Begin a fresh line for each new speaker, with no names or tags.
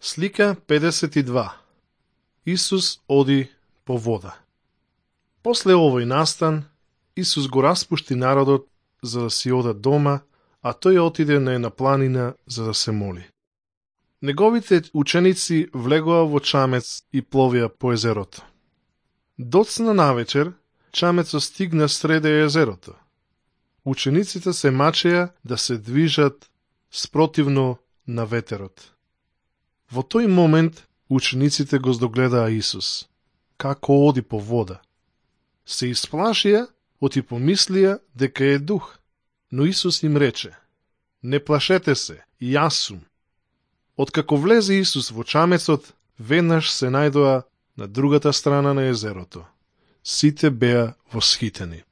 Слика 52. Исус оди по вода. После овој настан, Исус го распушти народот за да си одат дома, а тој отиде на една планина за да се моли. Неговите ученици влегоа во чамец и пловија по езерото. Доцна навечер, чамецот стигна среде езерото. Учениците се мачеа да се движат спротивно на ветерот. Во тој момент учениците го здогледаа Исус, како оди по вода. Се исплашија, оти помислија дека е дух, но Исус им рече: не плашете се, јас сум. Откако влезе Исус во чамецот, веднаш се најдоа на другата страна на езерото. Сите беа восхитени.